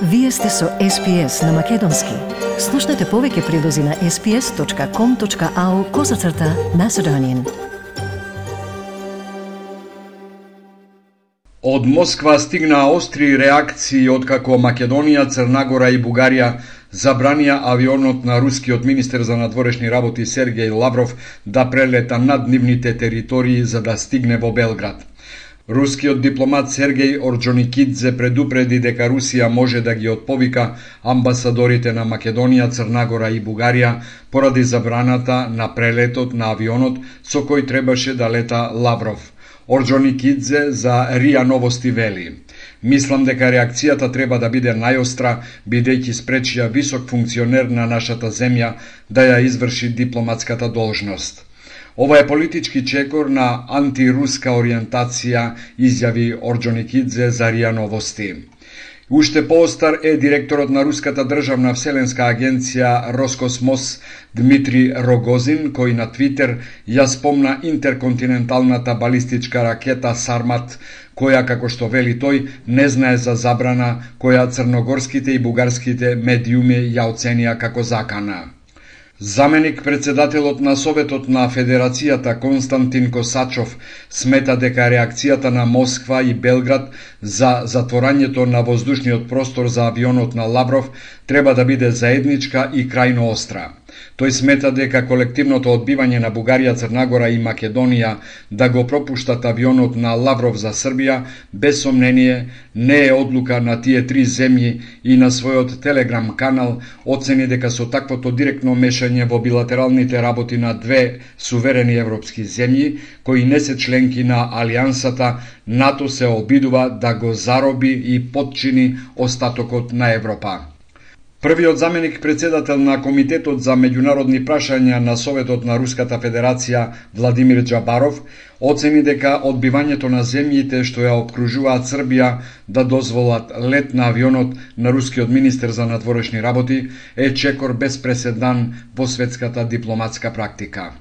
Вие сте со SPS на Македонски. Слушнете повеќе прилози на sps.com.au/Macedonian. Од Москва стигнаа остри реакции откако Македонија, Црна и Бугарија забранија авионот на рускиот министер за надворешни работи Сергеј Лавров да прелета над нивните територии за да стигне во Белград. Рускиот дипломат Сергеј Орџоникидзе предупреди дека Русија може да ги отповика амбасадорите на Македонија, Црна и Бугарија поради забраната на прелетот на авионот со кој требаше да лета Лавров. Орџоникидзе за РИА Новости вели: "Мислам дека реакцијата треба да биде најостра, бидејќи спречија висок функционер на нашата земја да ја изврши дипломатската должност." Ова е политички чекор на антируска ориентација, изјави Орџоникидзе за РИА Новости. Уште поостар е директорот на Руската државна вселенска агенција Роскосмос Дмитрий Рогозин, кој на Твитер ја спомна интерконтиненталната балистичка ракета Сармат, која, како што вели тој, не знае за забрана која црногорските и бугарските медиуми ја оценија како закана. Заменик председателот на Советот на Федерацијата Константин Косачов смета дека реакцијата на Москва и Белград за затворањето на воздушниот простор за авионот на Лавров треба да биде заедничка и крајно остра. Тој смета дека колективното одбивање на Бугарија, Црна и Македонија да го пропуштат авионот на Лавров за Србија, без сомнение, не е одлука на тие три земји и на својот телеграм канал оцени дека со таквото директно мешање во билатералните работи на две суверени европски земји, кои не се членки на Алијансата, НАТО се обидува да го зароби и потчини остатокот на Европа. Првиот заменик председател на Комитетот за меѓународни прашања на Советот на Руската Федерација Владимир Џабаров оцени дека одбивањето на земјите што ја опкружуваат Србија да дозволат лет на авионот на рускиот министер за надворешни работи е чекор без преседан во светската дипломатска практика.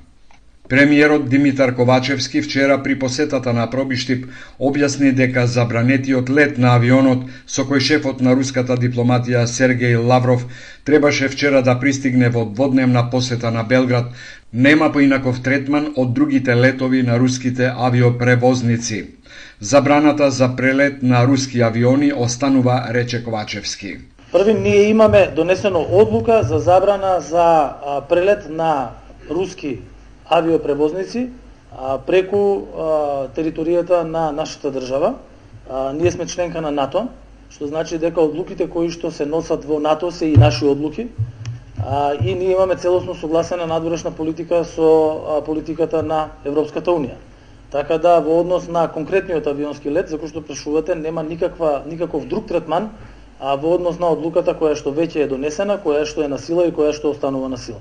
Премиерот Димитар Ковачевски вчера при посетата на Пробиштип објасни дека забранетиот лет на авионот со кој шефот на руската дипломатија Сергеј Лавров требаше вчера да пристигне во дводневна посета на Белград нема поинаков третман од другите летови на руските авиопревозници. Забраната за прелет на руски авиони останува, рече Ковачевски. Први, ние имаме донесено одлука за забрана за прелет на руски авиопревозници преку територијата на нашата држава. Ние сме членка на НАТО, што значи дека одлуките кои што се носат во НАТО се и наши одлуки. И ние имаме целосно согласена надворешна политика со политиката на Европската Унија. Така да во однос на конкретниот авионски лет, за кој што прашувате, нема никаков друг третман во однос на одлуката која што веќе е донесена, која што е на сила и која што останува на сила.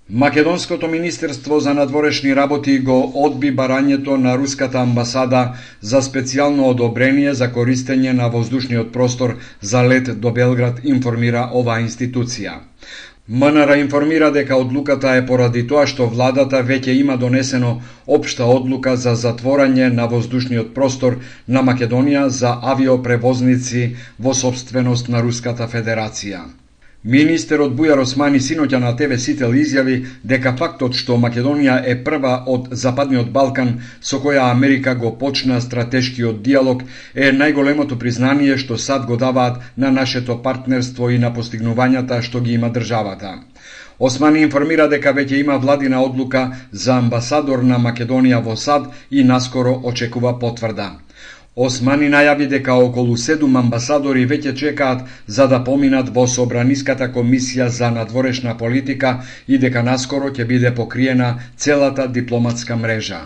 Македонското министерство за надворешни работи го одби барањето на руската амбасада за специјално одобрение за користење на воздушниот простор за лет до Белград, информира оваа институција. МНР информира дека одлуката е поради тоа што владата веќе има донесено општа одлука за затворање на воздушниот простор на Македонија за авиопревозници во сопственост на Руската Федерација. Министерот Бујар Османи синоќа на ТВ Сител изјави дека фактот што Македонија е прва од Западниот Балкан со која Америка го почна стратешкиот диалог е најголемото признание што САД го даваат на нашето партнерство и на постигнувањата што ги има државата. Османи информира дека веќе има владина одлука за амбасадор на Македонија во САД и наскоро очекува потврда. Османи најави дека околу 7 амбасадори веќе чекаат за да поминат во Собраниската комисија за надворешна политика и дека наскоро ќе биде покриена целата дипломатска мрежа.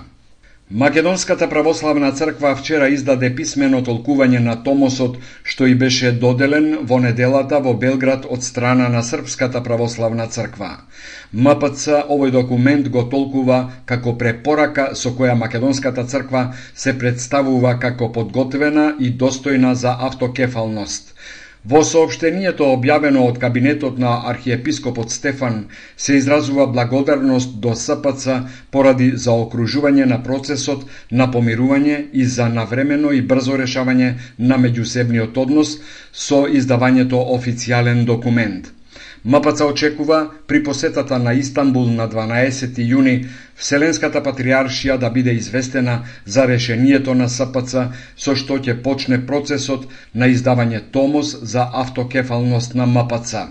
Македонската православна црква вчера издаде писмено толкување на томосот што и беше доделен во неделата во Белград од страна на Српската православна црква. МПЦ овој документ го толкува како препорака со која Македонската црква се представува како подготвена и достојна за автокефалност. Во соопштението објавено од кабинетот на архиепископот Стефан се изразува благодарност до СПЦ поради заокружување на процесот на помирување и за навремено и брзо решавање на меѓусебниот однос со издавањето официјален документ. МПЦ очекува при посетата на Истанбул на 12 јуни Вселенската патриаршија да биде известена за решението на СПЦ со што ќе почне процесот на издавање томос за автокефалност на МПЦ.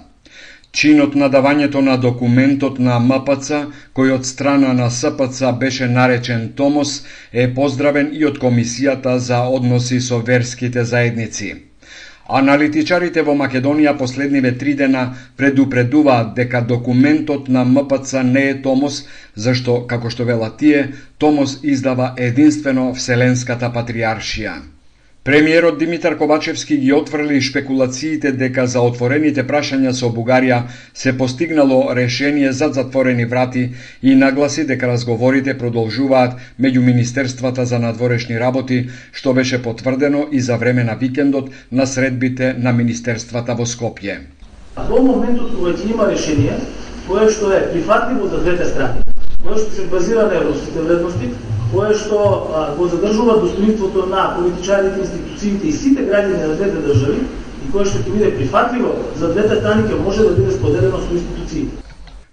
Чинот на давањето на документот на МПЦ, кој од страна на СПЦ беше наречен томос, е поздравен и од Комисијата за односи со верските заедници. Аналитичарите во Македонија последниве 3 дена предупредуваат дека документот на МПЦ не е томос, зашто, како што велат тие, томос издава единствено Вселенската патриаршија. Премиерот Димитар Ковачевски ги отфрли шпекулациите дека за отворените прашања со Бугарија се постигнало решение зад затворени врати и нагласи дека разговорите продолжуваат меѓу Министерствата за надворешни работи, што беше потврдено и за време на викендот на средбите на Министерствата во Скопје. Во моментот кога ќе има решение, кое што е прифатливо за двете страни, кое што се базира на европските вредности, кое што го задржува достоинството на политичарите, институциите и сите граѓани на двете држави и кое што ќе биде прифатливо за двете страни ќе може да биде споделено со институциите.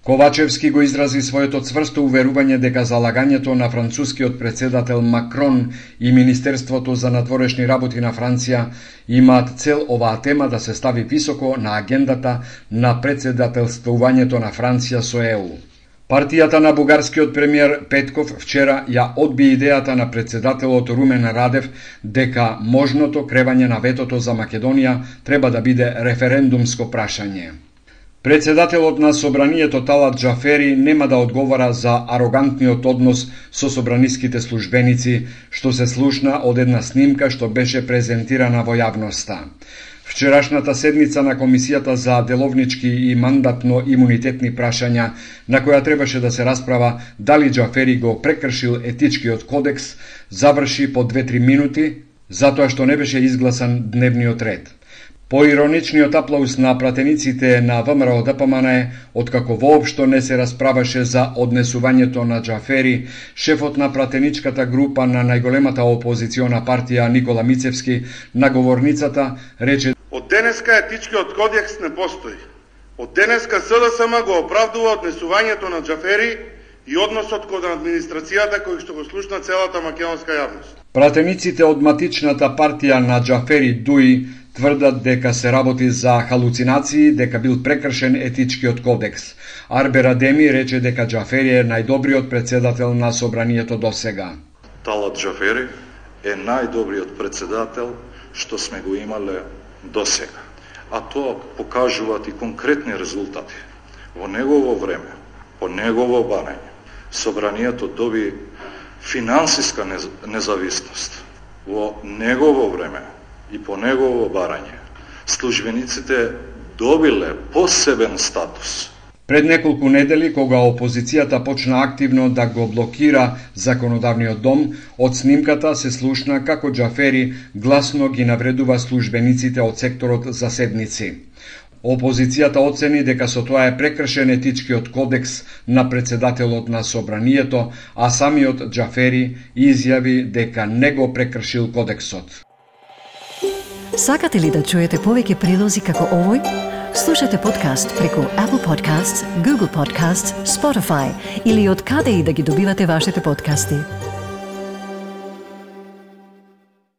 Ковачевски го изрази своето цврсто уверување дека залагањето на францускиот председател Макрон и Министерството за надворешни работи на Франција имаат цел оваа тема да се стави високо на агендата на председателствувањето на Франција со ЕУ. Партијата на бугарскиот премиер Петков вчера ја одби идејата на председателот Румен Радев дека можното кревање на ветото за Македонија треба да биде референдумско прашање. Председателот на Собранието Талат Џафери нема да одговара за арогантниот однос со собраниските службеници, што се слушна од една снимка што беше презентирана во јавноста. Вчерашната седница на Комисијата за деловнички и мандатно-имунитетни прашања, на која требаше да се расправа дали Џафери го прекршил етичкиот кодекс, заврши по 2-3 минути, затоа што не беше изгласан дневниот ред. По ироничниот аплауз на пратениците на ВМРО ДПМН е, откако воопшто не се расправаше за однесувањето на Џафери, шефот на пратеничката група на најголемата опозициона партија Никола Мицевски на говорницата рече: "Од денеска етичкиот кодекс не постои. Од денеска СДСМ го оправдува однесувањето на Џафери и односот кон администрацијата кој што го слушна целата македонска јавност." Пратениците од матичната партија на Џафери Дуи тврдат дека се работи за халуцинации, дека бил прекршен етичкиот кодекс. Арбер Адеми рече дека Џафери е најдобриот председател на Собранието досега. Талат Џафери е најдобриот председател што сме го имале досега. А тоа покажуваат и конкретни резултати. Во негово време, по негово барање, Собранието доби финансиска независност. Во негово време и по негово барање, службениците добиле посебен статус. Пред неколку недели, кога опозицијата почна активно да го блокира законодавниот дом, од снимката се слушна како Џафери гласно ги навредува службениците од секторот за седници. Опозицијата оцени дека со тоа е прекршен етичкиот кодекс на председателот на Собранието, а самиот Џафери изјави дека не го прекршил кодексот. Сакате ли да чуете повеќе прилози како овој? Слушате подкаст преку Apple Podcasts, Google Podcasts, Spotify или од каде и да ги добивате вашите подкасти.